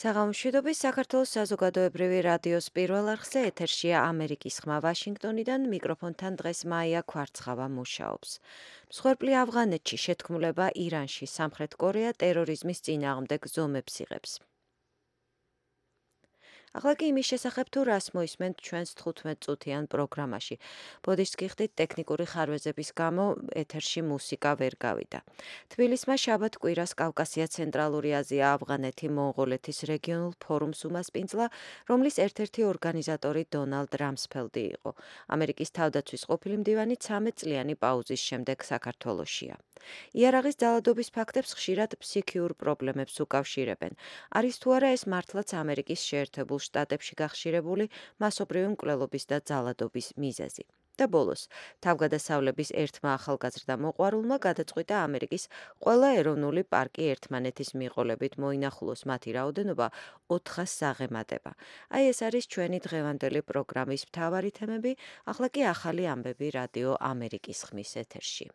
საღამოშვიდობის საქართველოს საზოგადოებრივი რადიოს პირველ არხზე ეთერშია ამერიკის ხმა ვაშინგტონიდან მიკროფონთან დღეს მაია ქვარცხავა მუშაობს. მსხვერპლი ავღანეთში შეთქმულება ირანში სამხრეთ კორეა ტერორიზმის წინააღმდეგ ზომებს იღებს. ახლა კი იმის შესახებ თუ რას მოისმენთ ჩვენს 15 წუთიან პროგრამაში. ბოდიშს გიხდით ტექნიკური ხარვეზების გამო ეთერში მუსიკა ვერ გავიდა. თბილისმა შაბათ კვირას კავკასია ცენტრალური აზია ავღანეთი მონღოლეთის რეგიონულ ფორუმს უმასპინძლა, რომლის ერთ-ერთი ორგანიზატორი დონალდ რამსფელდი იყო. ამერიკის თავდაცვის ყოფილი მდივანი 13 წლიანი პაუზის შემდეგ საქართველოშია. იარაღის ძალადობის ფაქტებს ხშირად ფსიქიურ პრობლემებს უკავშირებენ. არის თუ არა ეს მართლაც ამერიკის შეერთებულ შტატებში გახშირებული მასობრივი მკვლელობის და ძალადობის მიზეზი. და ბოლოს, თავგადასავლების ერთმა ახალგაზრდა მოყვარულმა გადაწყვიტა ამერიკის ყველა ეროვნული პარკი ერთმანეთის მიყოლებით მოინახულოს მათი რაოდენობა 400 საღემატება. აი ეს არის ჩვენი დღევანდელი პროგრამის მთავარი თემები, ახლა კი ახალი ამბები რადიო ამერიკის ხმის ეთერში.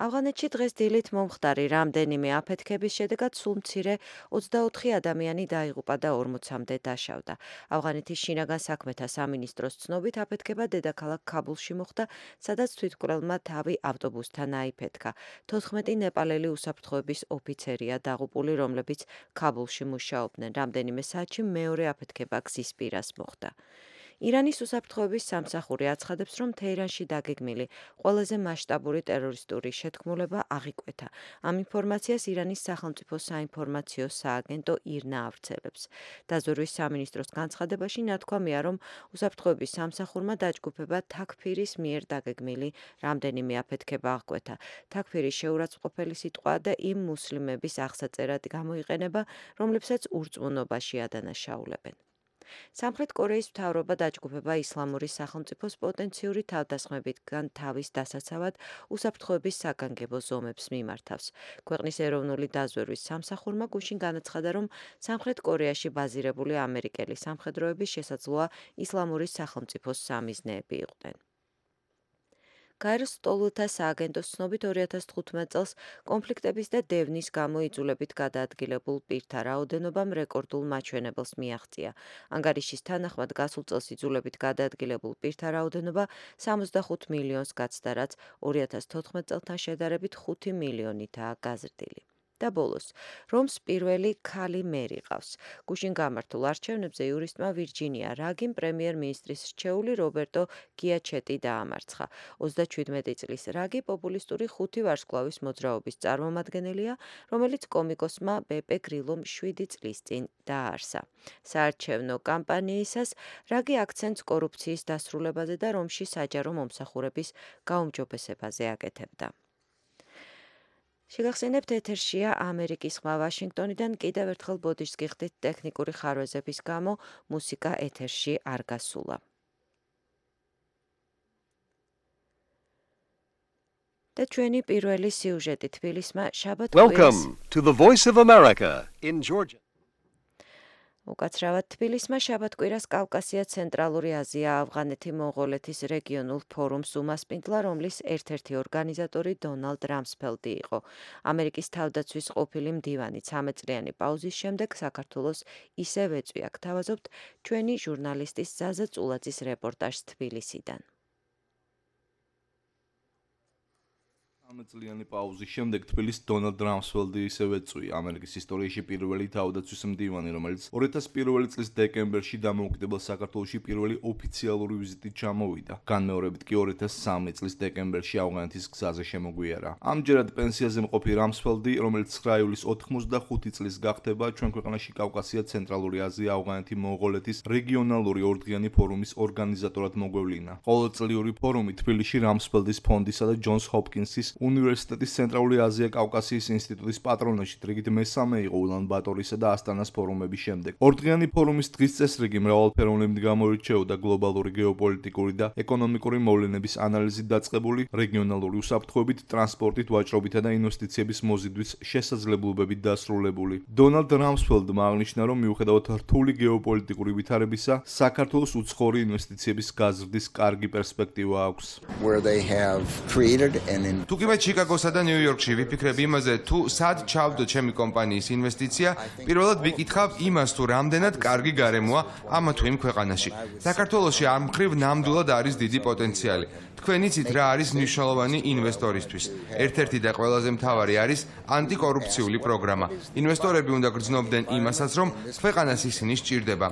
ავღანეთში დღეს დილით მომხდარი რამდენიმე აფეთქების შედეგად სულ მცირე 24 ადამიანი დაიღუპა და 40-მდე დაშავდა. ავღანეთის შინაგან საქმეთა სამინისტროს ცნობით აფეთქება დედაქალაქ ქაბულში მოხდა, სადაც თვითმკვლელმა თავი ავტობუსთან აიფეთქა. 14 ნეპალელი უსაფრთხოების ოფიცერია დაღუპული, რომლებიც ქაბულში მუშაობდნენ. რამდენიმე საათში მეორე აფეთქება გზის პირას მოხდა. ირანის უსაფრთხოების სამსახური აცხადებს, რომ თეირანში დაგეგმილი ყველაზე მასშტაბური ტერორისტული შეთქმულება აღიკვეთა. ამ ინფორმაციას ირანის სახელმწიფო საინფორმაციო სააგენტო ირნა ავრცელებს. დაზვერვის სამინისტროს განცხადებაში ნათქვამია, რომ უსაფრთხოების სამსახურმა დაჯგუფება თაქფირის მიერ დაგეგმილი რამდენიმე აფეთქება აღკვეთა. თაქფირი შეურაცხყოფელი სიტყვაა და იმ მუსლიმების აღსაწერად გამოიყენება, რომლებსაც ურწმუნობაში ადანაშაულებენ. სამხრეთ კორეის მთავრობა დაჯგუფება ისლამური სახელმწიფოს პოტენციური თავდასხმებიდან თავის დასაცავად უსაფრთხოების საგანგებო ზომებს მიმართავს. ქვეყნის ეროვნული დაზვერვის სამსახურმა გუშინ განაცხადა, რომ სამხრეთ კორეაში ბაზირებული ამერიკელი სამხედროები შესაძლოა ისლამური სახელმწიფოს სამიზნეები იყვნენ. გაეროს სტოლთა სააგენტოს ცნობით 2015 წელს კონფლიქტების და დევნის გამო იძულებით გადაადგილებულ პირთა რაოდენობამ რეკორდულ მაჩვენებელს მიაღწია. ანგარიშის თანახმად გასულ წელს იძულებით გადაადგილებულ პირთა რაოდენობა 65 მილიონს გაცდა, რაც 2014 წელთან შედარებით 5 მილიონითაა გაზრდილი. და ბოლოს, რომს პირველი ქალი მერი ყავს. გუშინ გამართულ არჩევნებზე იურისტმა ვირჯინია რაგიმ პრემიერ-მინისტრის რჩეული რობერტო გიაჩეტი დაამარცხა. 37 წლის რაგი პოპულისტური 5 ვარსკვლავის მოძრაობის წარმომადგენელია, რომელიც კომიკოსმა ბეპე გრილომ 7 წლის წინ დააარსა. საარჩევნო კამპანიისას რაგი აქცენტს კორუფციის დასრულებაზე და რომში საჯარო მომსახურების გაუმჯობესებაზე აკეთებდა. შეგახსენებთ ეთერშია ამერიკის ხმა ვაშინგტონიდან კიდევ ერთხელ ბოდიშს გიხდით ტექნიკური ხარვეზების გამო მუსიკა ეთერში არ გასულა. და ჩვენი პირველი სიუჟეტი თბილისმა შაბათ კვირას Welcome to the Voice of America in Georgia. უკაცრავად თბილისმა შაბათ კვირას კავკასია ცენტრალური აზია ავღანეთი მონღოლეთის რეგიონულ ფორუმს უმასპინძლა, რომლის ერთ-ერთი ორგანიზატორი დონალდ რამსფელდი იყო. ამერიკის თავდაცვის ყოფილი მდივანი 13 წლიანი პაუზის შემდეგ საქართველოს ისევ ეწვია. გთავაზობთ ჩვენი ჟურნალისტის ზაზა წულაძის რეპორტაჟს თბილისიდან. 13 წლიანი პაუზის შემდეგ თბილისს დონალდ რამსფელდი ისევ ეწვია. ამერიკის ისტორიაში პირველი თავდაცვის მდივანი, რომელიც 2001 წლის დეკემბერში დამოუკიდებელ საქართველოში პირველი ოფიციალური ვიზიტით ჩამოვიდა. განმეორებით კი 2003 წლის დეკემბერში ავღანეთის გზაზე შემოგვიარა. ამჯერად პენსიაზე მყოფი რამსფელდი, რომელიც 9 ივლისს 85 წლის გახდება, ჩვენ ქვეყანაში კავკასია ცენტრალური აზია ავღანეთი მონღოლეთის რეგიონალური ორდღიანი ფორუმის ორგანიზატორად მოგვევლინა. ყოველწლიური ფორუმი თბილისში რამსფელდის ფონდისა და ჯონს ჰოპკინსის უნივერსიტეტის ცენტრალური აზია კავკასიის ინსტიტუტის პატრონაჟით რიგით მესამე იყო ულან-ბატორისა და ასტანას ფორუმების შემდეგ. ორდღიანი ფორუმის დღის წესრიგი მრავალფეროვნებით გამოირჩეოდა გლობალური გეოპოლიტიკური და ეკონომიკური მოვლენების ანალიზით დაწყებული, რეგიონალური უსაფრთხოებით, ტრანსპორტით, ვაჭრობითა და ინვესტიციების მოზიდვის შესაძლებლობებით დასრულებული. დონალდ რამსფელდმა აღნიშნა, რომ მიუხედავად რთული გეოპოლიტიკური ვითარებისა, საქართველოს უცხოური ინვესტიციების გაზრდის კარგი პერსპექტივა აქვს. Where they have created an თუ კი მე ჩიკაგოსა და ნიუ-იორკში ვიფიქრებ იმაზე, თუ სად ჩავდო ჩემი კომპანიის ინვესტიცია, პირველად ვიკითხავ იმას, თუ რამდენად კარგი გარემოა ამა თუ იმ ქვეყანაში. საქართველოში ამ მხრივ ნამდვილად არის დიდი პოტენციალი. თქვენ იცით რა არის მნიშვნელოვანი ინვესტორისთვის. ერთ-ერთი და ყველაზე მთავარი არის ანტიკორუფციული პროგრამა. ინვესტორები უნდა გრძნობდნენ იმასაც, რომ ქვეყანას ისინი სჭირდება.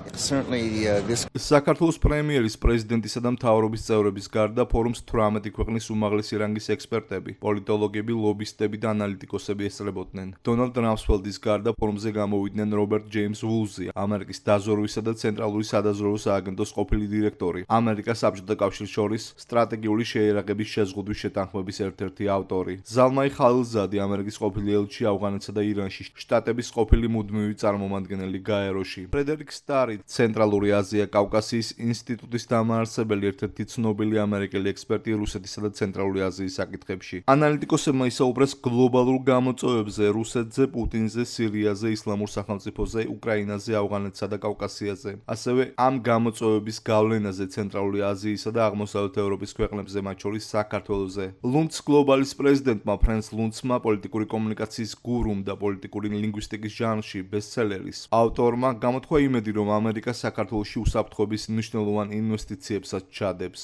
საქართველოს პრემიერის, პრეზიდენტისა და მთავრობის წევრების გარდა ფორუმს 18 ქვეყნის უმაღლესი რანგის ექსპერტები, პოლიტოლოგები, ლობისტები და ანალიტიკოსები ესწრებოდნენ. დონალდ რამსფელდის გარდა ფორუმზე გამოვიდნენ რობერტ ჯეიმს ვულზი, ამერიკის დაზვერვისა და ცენტრალური სადაზვერვო სააგენტოს ყოფილი დირექტორი, ამერიკას საბჭოთა კავშირის შორის სტრატეგიული შეიარაღების შეზღუდვის შეთანხმების ერთ-ერთი ავტორი, ზალმაი ხალილზადი, ამერიკის ყოფილი ელჩი ავღანეთსა და ირანში, შტატების ყოფილი მუდმივი წარმომადგენელი გაეროში, ფრედერიკ სტარი, ცენტრალური აზია კავკასიის ინსტიტუტის დამაარსებელი, ერთ-ერთი ცნობილი ამერიკელი ექსპერტი რუსეთისა და ცენტრალური აზიის საკითხებში. ანალიტიკოსებმა ისაუბრეს გლობალურ გამოწვევებზე, რუსეთზე, პუტინზე, სირიაზე, ისლამურ სახელმწიფოზე, უკრაინაზე, ავღანეთსა და კავკასიაზე. ასევე ამ გამოწვევების გავლენაზე ცენტრალური აზიისა და აღმოსავლეთ ევროპის ქვეყნებზე, მათ შორის საქართველოზე. ლუნც გლობალის პრეზიდენტმა ფრენს ლუნცმა, პოლიტიკური კომუნიკაციის გურუმ და პოლიტიკური ლინგვისტიკის ჟანრში ბესტსელერის ავტორმა გამოთქვა იმედი, რომ ამერიკა საქართველოში უსაფრთხოების მნიშვნელოვან ინვესტიციებსაც ჩადებს.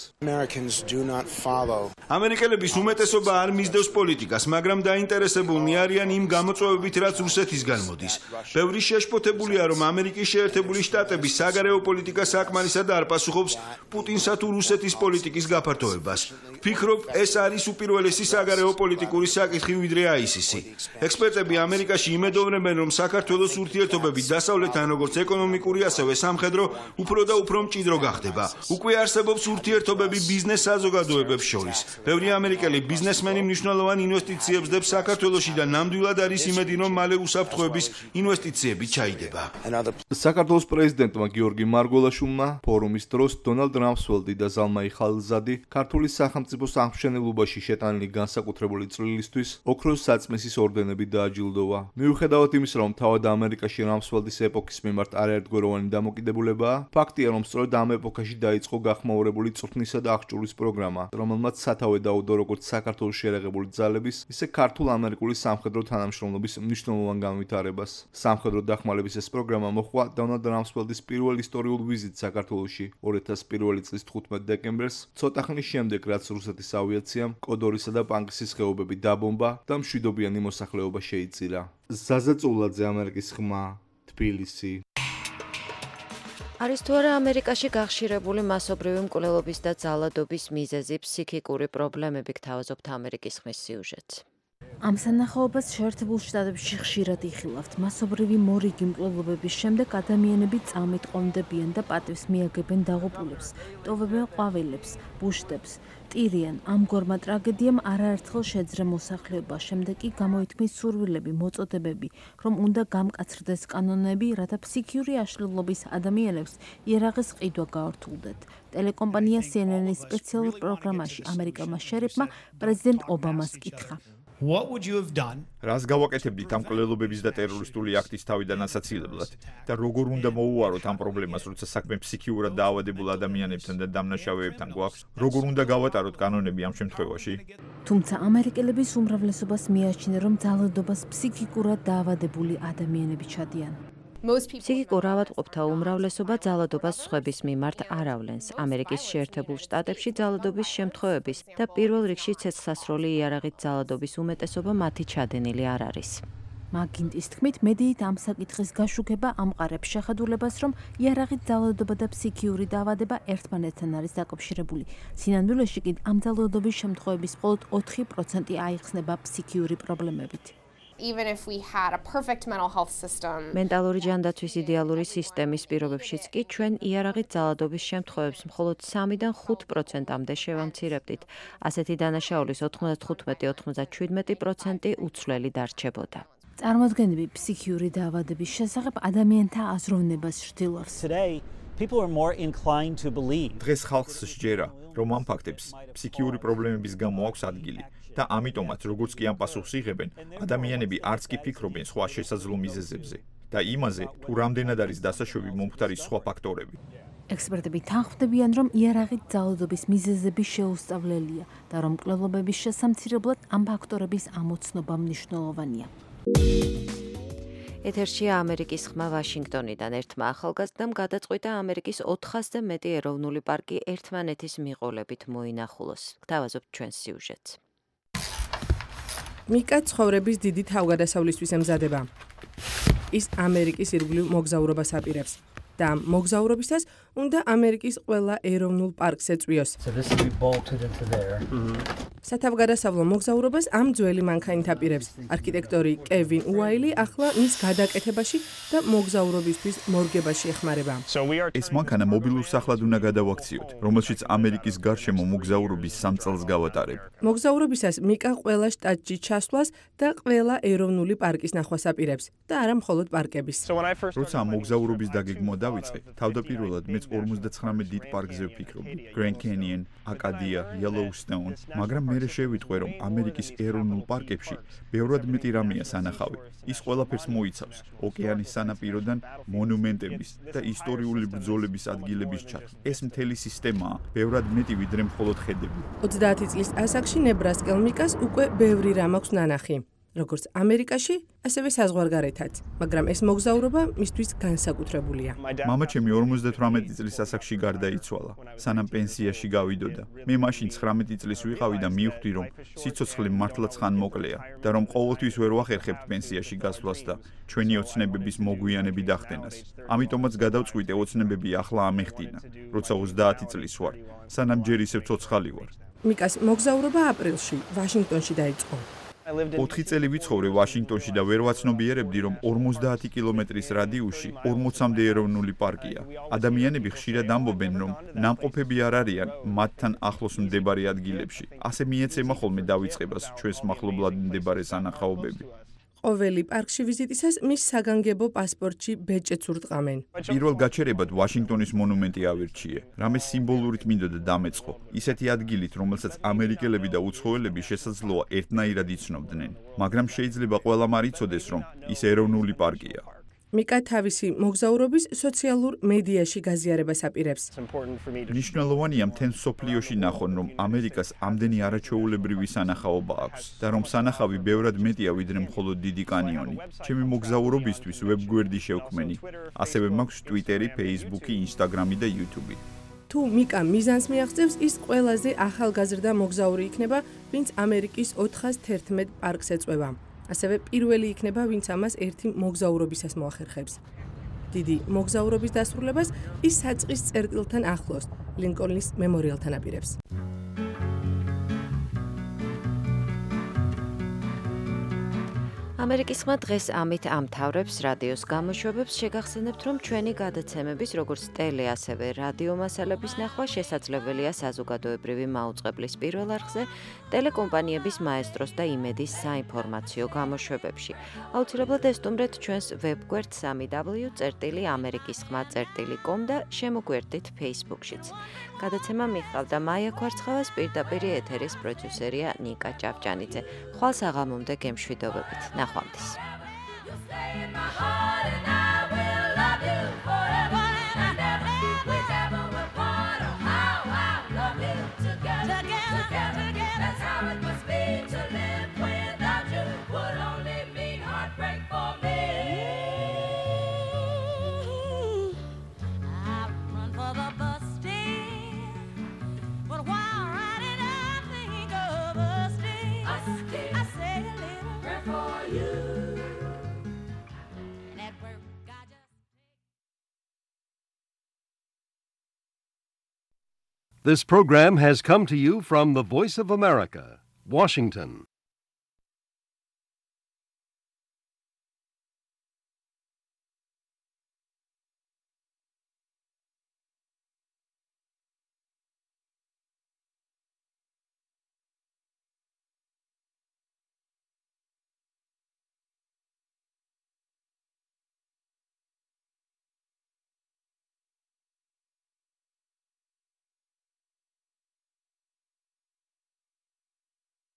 ამერიკელების უმეტესობა არ მისდევს პოლიტიკას, მაგრამ დაინტერესებულნი არიან იმ გამოწვევებით, რაც რუსეთისგან მოდის. ბევრი შეშფოთებულია, რომ ამერიკის შეერთებული შტატები საგარეო პოლიტიკას საკმარისად არ პასუხობს პუტინსა თუ რუსეთის პოლიტიკის გაფართოებას. ვფიქრობ, ეს არის უპირველესი საგარეო პოლიტიკური საკითხი ვიდრე ISIS-ი. ექსპერტები ამერიკაში იმედოვნებენ, რომ საქართველოს ურთიერთობები დასავლეთთან როგორც ეკონომიკური, ასევე სამხედრო უფრო და უფრო მჭიდრო გახდება. უკვე არსებობს ურთიერთობები ბიზნეს საზოგადოებებს შორის. ბევრი ამერიკელი ბიზნესმენი მნიშვნელოვან ინვესტიციებს დებს საქართველოში და ნამდვილად არის იმედი, რომ მალე უსაფრთხოების ინვესტიციები ჩაიდება. საქართველოს პრეზიდენტმა გიორგი მარგველაშვილმა ფორუმის დროს დონალდ რამსფელდი და ზალმაი ხალილზადი ქართული სახელმწიფო სამშენებლობაში შეტანილი განსაკუთრებული წვლილისთვის ოქროს საწმისის ორდენები დააჯილდოვა. მიუხედავად იმისა, რომ თავად ამერიკაში რამსფელდის ეპოქის მიმართ არაერთგვაროვანი დამოკიდებულებაა, ფაქტია, რომ სწორედ ამ ეპოქაში დაიწყო გახმაურებული წვრთნისა და აღჭურვის პროგრამა, რომელმაც სათავე დაუდო როგორც საქართველოს შეერაღებული ძალების, ისე ქართულ-ამერიკული სამხედრო თანამშრომლობის მნიშვნელოვან განვითარებას. სამხედრო დახმარების ეს პროგრამა მოჰყვა დონალდ რამსფელდის პირველ ისტორიულ ვიზიტს საქართველოში 2001 წლის 15 დეკემბერს, ცოტა ხნის შემდეგ, რაც რუსეთის ავიაციამ კოდორისა და პანკისის ხეობები დაბომბა და მშვიდობიანი მოსახლეობა შეიწირა. ზაზა წულაძე, ამერიკის ხმა, თბილისი. არის თუ არა ამერიკაში გახშირებული მასობრივი მკვლელობის და ძალადობის მიზეზი ფსიქიკური პრობლემები, გთავაზობთ ამერიკის ხმის სიუჟეტს. ამ სანახაობას შეერთებულ შტატებში ხშირად იხილავთ. მასობრივი მორიგი მკვლელობების შემდეგ ადამიანები წამით ყონდებიან და პატივს მიაგებენ დაღუპულებს, ტოვებენ ყვავილებს, ბუშტებს, ტირიან. ამგვარმა ტრაგედიამ არაერთხელ შეძრა მოსახლეობა, შემდეგ კი გამოითქმის სურვილები, მოწოდებები, რომ უნდა გამკაცრდეს კანონები, რათა ფსიქიური აშლილობის ადამიანებს იარაღის ყიდვა გაართულდეთ. ტელეკომპანია CNN-ის სპეციალურ პროგრამაში ამერიკელმა შერიფმა პრეზიდენტ ობამას კითხა. რას გავაკეთებდით ამ მკვლელობების და ტერორისტული აქტის თავიდან ასაცილებლად და როგორ უნდა მოუაროთ ამ პრობლემას, როცა საქმე ფსიქიურად დაავადებულ ადამიანებთან და დამნაშავეებთან გვაქვს? როგორ უნდა გავატაროთ კანონები ამ შემთხვევაში? თუმცა ამერიკელების უმრავლესობას მიაჩნია, რომ ძალადობას ფსიქიკურად დაავადებული ადამიანები ჩადიან. ფსიქიკურ ავადმყოფთა უმრავლესობა ძალადობას სხვების მიმართ არ ავლენს. ამერიკის შეერთებულ შტატებში ძალადობის შემთხვევების და პირველ რიგში ცეცხლსასროლი იარაღით ძალადობის უმეტესობა მათი ჩადენილი არ არის. მაგინტის თქმით, მედიით ამ საკითხის გაშუქება ამყარებს შეხედულებას, რომ იარაღით ძალადობა და ფსიქიური დაავადება ერთმანეთთან არის დაკავშირებული. სინამდვილეში კი ამ ძალადობის შემთხვევების მხოლოდ 4% აიხსნება ფსიქიური პრობლემებით. Even if we had a perfect mental health system. მენტალური ჯანდაცვის იდეალური სისტემის პირობებშიც კი ჩვენ იარაღით ძალადობის შემთხვევებს მხოლოდ 3-დან 5%-მდე შევამცირებდით. ასეთი დანაშაულის 95-97% უცვლელი დარჩებოდა. წარმოდგენები ფსიქიური დაავადების შესახებ ადამიანთა აზროვნებას ცდილობს. დღეს ხალხს სჯერა, რომ ამ ფაქტებს ფსიქიური პრობლემების გამო აქვს ადგილი. და ამიტომაც, როგორც კი ამ პასუხს იღებენ, ადამიანები არც კი ფიქრობენ სხვა შესაძლო მიზეზებზე და იმაზე, თუ რამდენად არის დასაშვები მომხდარი სხვა ფაქტორები. ექსპერტები თანხმდებიან, რომ იარაღით ძალადობის მიზეზები შეუსწავლელია და რომ მკვლელობების შესამცირებლად ამ ფაქტორების ამოცნობა მნიშვნელოვანია. ეთერშია ამერიკის ხმა ვაშინგტონიდან. ერთმა ახალგაზრდამ გადაწყვიტა ამერიკის 400-ზე მეტი ეროვნული პარკი ერთმანეთის მიყოლებით მოინახულოს. გთავაზობთ ჩვენს სიუჟეტს. მიკა ცხოვრების დიდი თავგადასავლისთვის ემზადება. ის ამერიკის ირგვლივ მოგზაურობას აპირებს და ამ მოგზაურობისას უნდა ამერიკის ყველა ეროვნულ პარკს ეწვიოს. სათავგადასავლო მოგზაურობას ამ ძველი მანქანით აპირებს არქიტექტორი კევინ უაილი ახლა მის გადაკეთებაში და მოგზაურობისთვის მორგებაში ეხმარება. ეს მანქანა მობილურ სახლად უნდა გადავაქციოთ, რომელშიც ამერიკის გარშემო მოგზაურობის 3 წელს გავატარებ. მოგზაურობისას მიკა ყველა შტატში ჩასვლას და ყველა ეროვნული პარკის ნახვას აპირებს და არა მხოლოდ პარკების. როცა მოგზაურობის დაგეგმვა დავიწყე, თავდაპირველად მეც 59 დიდ პარკზე ვფიქრობდი. Grand Canyon, Acadia, Yellowstone, მაგრამ მერე შევიტყვე, რომ ამერიკის ეროვნულ პარკებში ბევრად მეტი რამეა სანახავი. ის ყველაფერს მოიცავს: ოკეანის სანაპიროდან მონუმენტების და ისტორიული ბრძოლების ადგილების ჩათვლა. ეს მთელი სისტემაა, ბევრად მეტი ვიდრე მხოლოდ ხედები. 30 წლის ასაკში ნებრასკელ მიკას უკვე ბევრი რამ აქვს ნანახი. როგორც ამერიკაში, ასევე საზღვარგარეთაც, მაგრამ ეს მოგზაურობა მისთვის განსაკუთრებულია. მამაჩემი 58 წლის ასაკში გარდაიცვალა, სანამ პენსიაში გავიდოდა. მე მაშინ 19 წლის ვიყავი და მივხვდი, რომ სიცოცხლე მართლაც ხანმოკლეა და რომ ყოველთვის ვერ ვახერხებთ პენსიაში გასვლას და ჩვენი ოცნებების მოგვიანები დახდენას. ამიტომაც გადავწყვიტე ოცნებები ახლა ამეხდინა, როცა 30 წლის ვარ, სანამ ჯერ ისევ ცოცხალი ვარ. მიკას მოგზაურობა აპრილში ვაშინგტონში დაიწყო. 4 წელი ვიცხოვრე ვაშინგტონში და ვერ ვაცნობიერებდი, რომ 50 კილომეტრის რადიუსში 40-მდე ეროვნული პარკია. ადამიანები ხშირად ამბობენ, რომ ნამყოფები არ არიან მათთან ახლოს მდებარე ადგილებში. ასე მიეცემა ხოლმე დავიწყებას ჩვენს მახლობლად მდებარე სანახაობები. ყოველი პარკში ვიზიტისას მის საგანგებო პასპორტში ბეჭედს ურტყამენ. პირველ გაჩერებად ვაშინგტონის მონუმენტი ავირჩიე. რამე სიმბოლურით მინდოდა დამეწყო. ისეთი ადგილით, რომელსაც ამერიკელები და უცხოელები შესაძლოა ერთნაირად იცნობდნენ. მაგრამ შეიძლება ყველამ არ იცოდეს, რომ ის ეროვნული პარკია. მიკა თავისი მოგზაურობის სოციალურ მედიაში გაზიარებას აპირებს. მნიშვნელოვანია მთელ მსოფლიოში ნახონ, რომ ამერიკას ამდენი არაჩვეულებრივი სანახაობა აქვს და რომ სანახავი ბევრად მეტია ვიდრე მხოლოდ დიდი კანიონი. ჩემი მოგზაურობისთვის ვებგვერდი შევქმენი. ასევე მაქვს ტვიტერი, ფეისბუქი, ინსტაგრამი და იუთუბი. თუ მიკა მიზანს მიაღწევს, ის ყველაზე ახალგაზრდა მოგზაური იქნება, ვინც ამერიკის 411 პარკს ეწვევა. ასევე პირველი იქნება, ვინც ამას ერთი მოგზაურობისას მოახერხებს. დიდი მოგზაურობის დასრულებას ის საწყის წერტილთან ახლოს, ლინკოლნის მემორიალთან აპირებს. ამერიკის ხმა დღეს ამით ამთავრებს რადიოს გამოშვებებს. შეგახსენებთ, რომ ჩვენი გადაცემების, როგორც ტელე, ასევე რადიო მასალების ნახვა შესაძლებელია საზოგადოებრივი მაუწყებლის პირველ არხზე, ტელეკომპანიების მაესტროს და იმედის საინფორმაციო გამოშვებებში. აუცილებლად ესტუმრეთ ჩვენს ვებგვერდ www.amerikisxma.com და შემოგვერდით Facebook-შიც. გადაცემა მიხავდა მაია ქვარცხავას, პირდაპირ ეთერის პროდიუსერია ნიკა ჭავჭანიძე. ხვალ საღამომდე გემშვიდობებით. ნახვამდის. This program has come to you from the Voice of America, Washington.